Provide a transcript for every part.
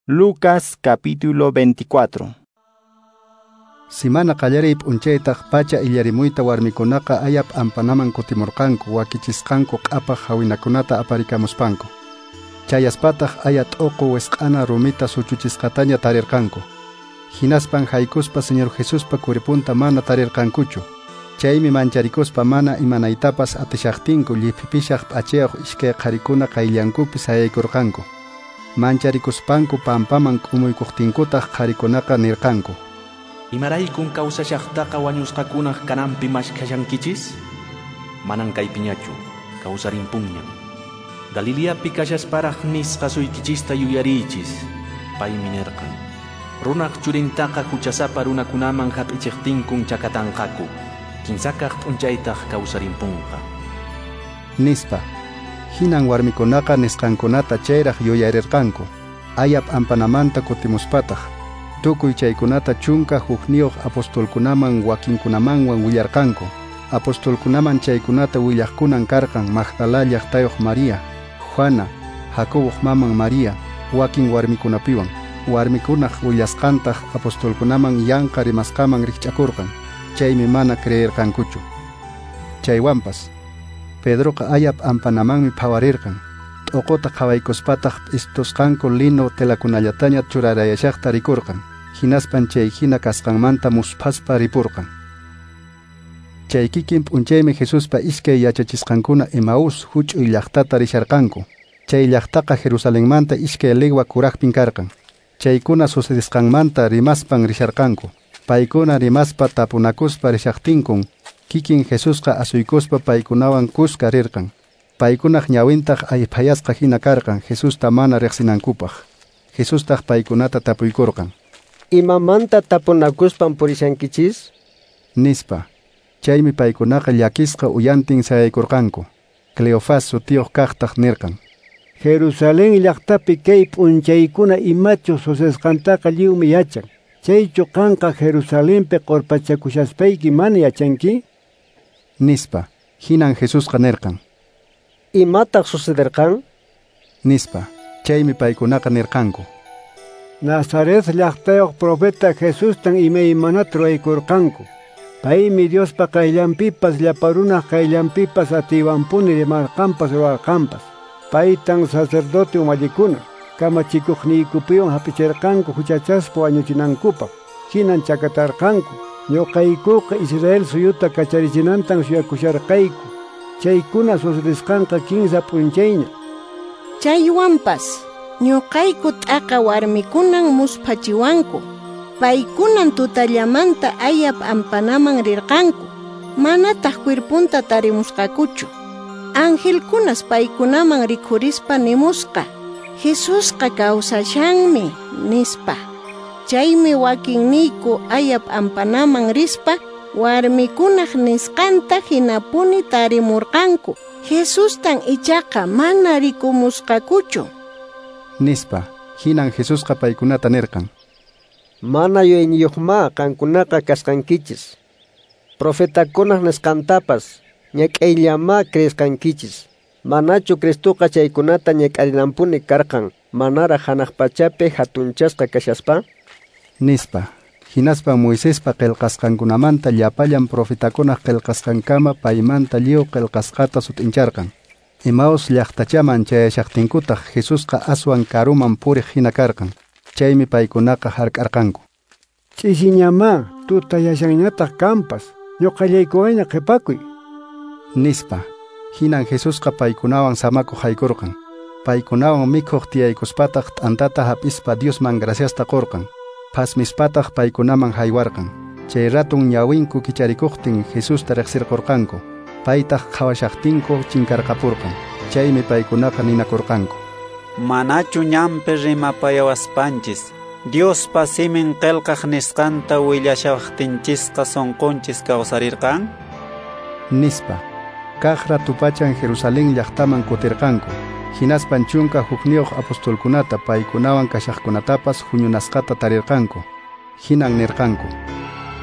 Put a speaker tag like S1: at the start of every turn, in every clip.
S1: Lucas capítulo 24.
S2: Simana qallariy p'unchaytaq pacha illarimuyta warmikunaqa ayap ampanaman kutimurqanku wakichisqanku q'apaq hawinakunata aparikamuspanku. Chayaspataq aya t'uqu wisq'ana rumita suchuchisqataña tarirqanku. Hinaspan haykuspa Señor Jesuspa kuripunta mana tarirqankuchu. Chaymi mancharikuspa mana imanaytapas atishaqtinku lliphipishaq p'achayuq iskay qharikuna qayllankupi sayaykurqanku. Mancharikuspanku pampaman k'umuykuqtinkutaq qharikunaqa nirqanku:
S3: Imaraykun kawsashaqtaqa wañusqakunaq kananpi mashkashankichis? Manan kaypiñachu, kawsarimpunñam. Galileapi kashasparaq nisqa suykichista yuyariychis, paymi nirqan: Runaq churintaqa huchasapa runakunaman hap'ichiqtinkun chakatanqaku, kinsakaq p'unchaytaq kawsarimpunqa.
S2: Nispa. Hinan warmikunaqa nisqankunata chayraq yuyarirqanku. Ayap ampanamanta kutimuspataq tukuy chaykunata 11 apostolkunaman wakinkunamanwan willarqanku. Apostolkunaman chaykunata willaqkunan karqan Magdala llaqtayuq María, Juana, Jacoboq maman María, wakin warmikunapiwan. Warmikunaq willasqantaq apostolkunaman yanqa rimasqaman rikch'akurqan. Chaymi mana creerqankuchu. Chaywanpas Pedroqa ayap ampanamanmi phawarirqan. T'uquta qhawaykuspataq p'istusqanku lino telakunallataña churarayashaqta rikurqan. Hinaspan chay hina kasqanmanta musphaspa ripurqan. Chay kikin p'unchaymi Jesuspa iskay yachachisqankuna Emaús huch'uy llaqtata risharqanku. Chay llaqtaqa Jerusalenmanta 2 legua kuraqpin karqan. Chaykuna sucedisqanmanta rimaspan risharqanku. Paykuna rimaspa tapunakuspa rishaqtinkun kikin Jesusqa asuykuspa paykunawan kuska rirqan. Paykunaq ñawintaq ayphayasqa hina karqan Jesusta mana riqsinankupaq. Jesustaq paykunata tapuykurqan:
S4: Imamanta tapunakuspan purishankichis?
S2: Nispa. Chaymi paykunaqa llakisqa uyantin sayaykurqanku. Cleofás sutiyuq kaqtaq nirqan:
S5: Jerusalén llaqtapi kay p'unchaykuna imachu sucesqantaqa lliwmi yachan. Chaychu qanqa Jerusalenpi qurpachakushaspayki mana yachanki?
S2: Nispa. Hinan Jesusqa nirqan:
S4: Imataq sucederqan?
S2: Nispa. Chaymi paykunaqa nirqanku:
S5: Nazaret llaqtayuq profeta Jesustan imaymanata ruwaykurqanku. Paymi Diospa qayllanpipas llapa runaq qayllanpipas atiywanpuni rimarqanpas ruwarqanpas. Paytan sacerdote umallikuna kamachikuqniykupiwan hap'ichirqanku huchachaspa wañuchinankupaq. Hinan chakatarqanku. Ñuqaykuqa Israel suyuta kacharichinantan suyakusharqayku. Chaykuna sucedisqanqa 15 p'unchayña.
S6: Chaywanpas ñuqayku t'aqa warmikunan musphachiwanku. Paykunan tutallamanta ayap ampanaman rirqanku. Manataq cuerpunta tarimusqakuchu. Angelkunas paykunaman rikhurispa nimusqa: Jesusqa kawsashanmi, nispa. Chaymi wakinniyku ayap ampanaman rispa warmikunaq nisqanta hinapuni tarimurqanku. Jesustan ichaqa mana rikumusqakuchu.
S2: Nispa. Hinan Jesusqa paykunata nirqan:
S4: Mana yuyayniyuqma qankunaqa kasqankichis. Profetakunaq nisqantapas ñak'ayllama creesqankichis. Manachu Cristoqa chaykunata ñak'arinanpuni karqan manaraq hanaq pachapi hatunchasqa kashaspa?
S2: Nispa. Hinaspa Moisespa qillqasqankunamanta llapallan profetakunaq qillqasqankama paymanta lliw qillqasqata sut'incharqan. Emaús llaqtachaman chayashaqtinkutaq Jesusqa aswan karuman puriq hina karqan. Chaymi paykunaqa hark'arqanku:
S5: Ch'isiñamá tutayashanñataq kanpas, ñuqallaykuwayña qhipakuy.
S2: Nispa. Hinan Jesusqa paykunawan samakuq haykurqan. Paykunawan mikhuq tiyaykuspataq t'antata hap'ispa Diosman graciasta qurqan. Phasmispataq paykunaman haywarqan. Chay ratun ñawinku kicharikuqtin Jesusta riqsirqurqanku. Paytaq qhawashaqtinku chinkarqapurqan. Chaymi paykunaqa ninakurqanku:
S7: Manachu ñanpi rimapayawaspanchis Diospa simin qillqaq nisqanta willashawaqtinchisqa sunqunchis kawsarirqan?
S2: Nispa. Kaq ratupachan Jerusalén llaqtaman kutirqanku. Hinaspan 11 apostolkunata paykunawan kashaqkunatapas huñunasqata tarirqanku. Hinan nirqanku: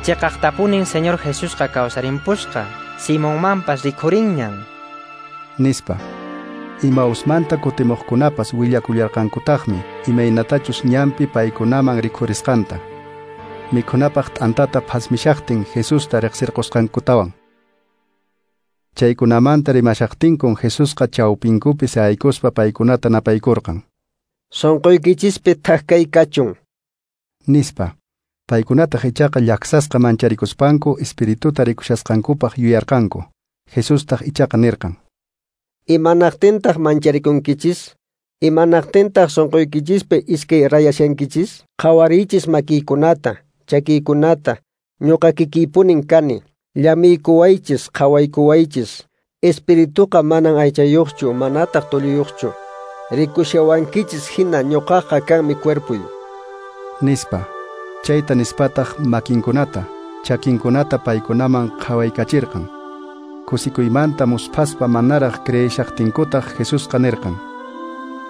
S8: Chiqaqtapunin Señor Jesusqa kawsarimpusqa, Simonmanpas rikhurinñan.
S2: Nispa. Imausmanta kutimuqkunapas willakullarqankutaqmi imaynatachus ñanpi paykunaman rikhurisqanta. Mikhunapaq t'antata phasmishaqtin Jesusta riqsirqusqankutawan. Chaykunamanta rimashaqtinkun Jesusqa chawpinkupi sayaykuspa paykunata napaykurqan.
S4: Sonqoykichispi thak kachun,
S2: nispa. Paykunataq ichaqa llaksasqa mancharikuspanku espirituta rikushasqankupaq yuyarqanku. Jesustaq ichaqa nirqan:
S4: Imanaqtintaq mancharikunkichis? Imanaqtintaq sonqoykichispi iskay rayashankichis? Qhawariychis makiykunata, chakiykunata, ñuqa kikiypunin kani. Llamiykuwaychis, qhawaykuwaychis. Espirituqa manan aychayuqchu, manataq tulluyuqchu. Rikushawankichis hina ñuqaqa kanmi cuerpuy,
S2: nispa. Chayta nispataq makinkunata, chakinkunata paykunaman qhawaykachirqan. Kusikuymanta musphaspa manaraq creeshaqtinkutaq Jesusqa nirqan: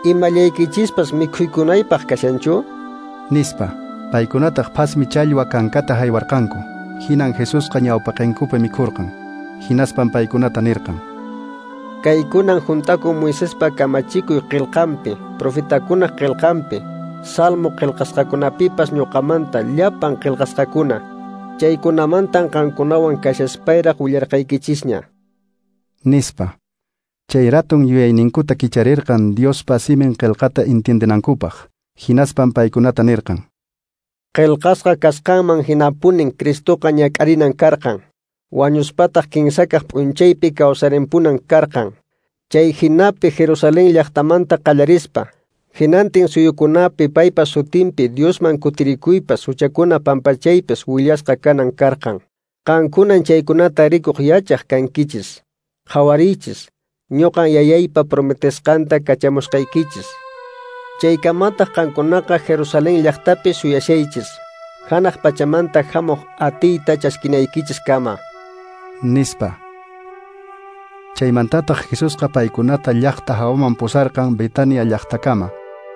S4: Imallaykichispas mikhuykunaypaq kashanchu?
S2: Nispa. Paykunataq phasmi challwa kankata haywarqanku. Hinan Jesusqa ñawpaqinkupi mikhurqan. Hinaspan paykunata nirqan:
S4: Kaykunan juntakun Moisespa kamachikuy qillqanpi, profetakunaq qillqanpi, Salmo qillqasqakunapipas ñuqamanta llapan qillqasqakuna. Chaykunamantan qankunawan kashaspayraq willarqaykichisña,
S2: nispa. Chay ratun yuyayninkuta kicharirqan Diospa simin qillqata entiendenankupaq. Hinaspan paykunata nirqan:
S4: Qillqasqa kasqanman hinapunin Cristoqa ñak'arinan karqan. Wañuspataq kinsakaq p'unchaypi kawsarimpunan karqan. Chay hinapi Jerusalén llaqtamanta qallarispa, hinantin suyukunapi paypa sutinpi Diosman kutirikuypas huchakuna pampachaypas willasqa kanan karqan. Qankunan chaykunata rikuq yachaq kankichis. Qhawariychis, ñuqan yayaypa prometesqanta kachamusqaykichis. Chaykamataq qankunaqa Jerusalén llaqtapi suyashaychis, hanaq pachamanta hamuq atiyta chaskinaykichis kama,
S2: nispa. Chaymantataq Jesusqa paykunata llaqta hawaman pusarqan Betania llaqtakama.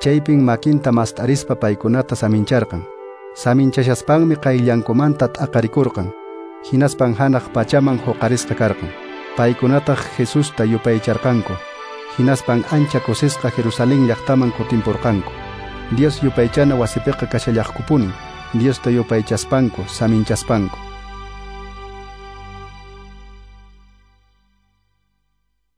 S2: Chaypin makinta mast'arispa paykunata samincharqan. Saminchashaspanmi qayllankumanta t'aqarikurqan. Hinaspan hanaq pachaman huqarisqa karqan. Paykunataq Jesusta yupaycharqanku. Hinaspan ancha kusisqa Jerusalén llaqtaman kutimpurqanku. Dios yupaychana wasipiqa kashallaqkupunin, Diosta yupaychaspanku, saminchaspanku.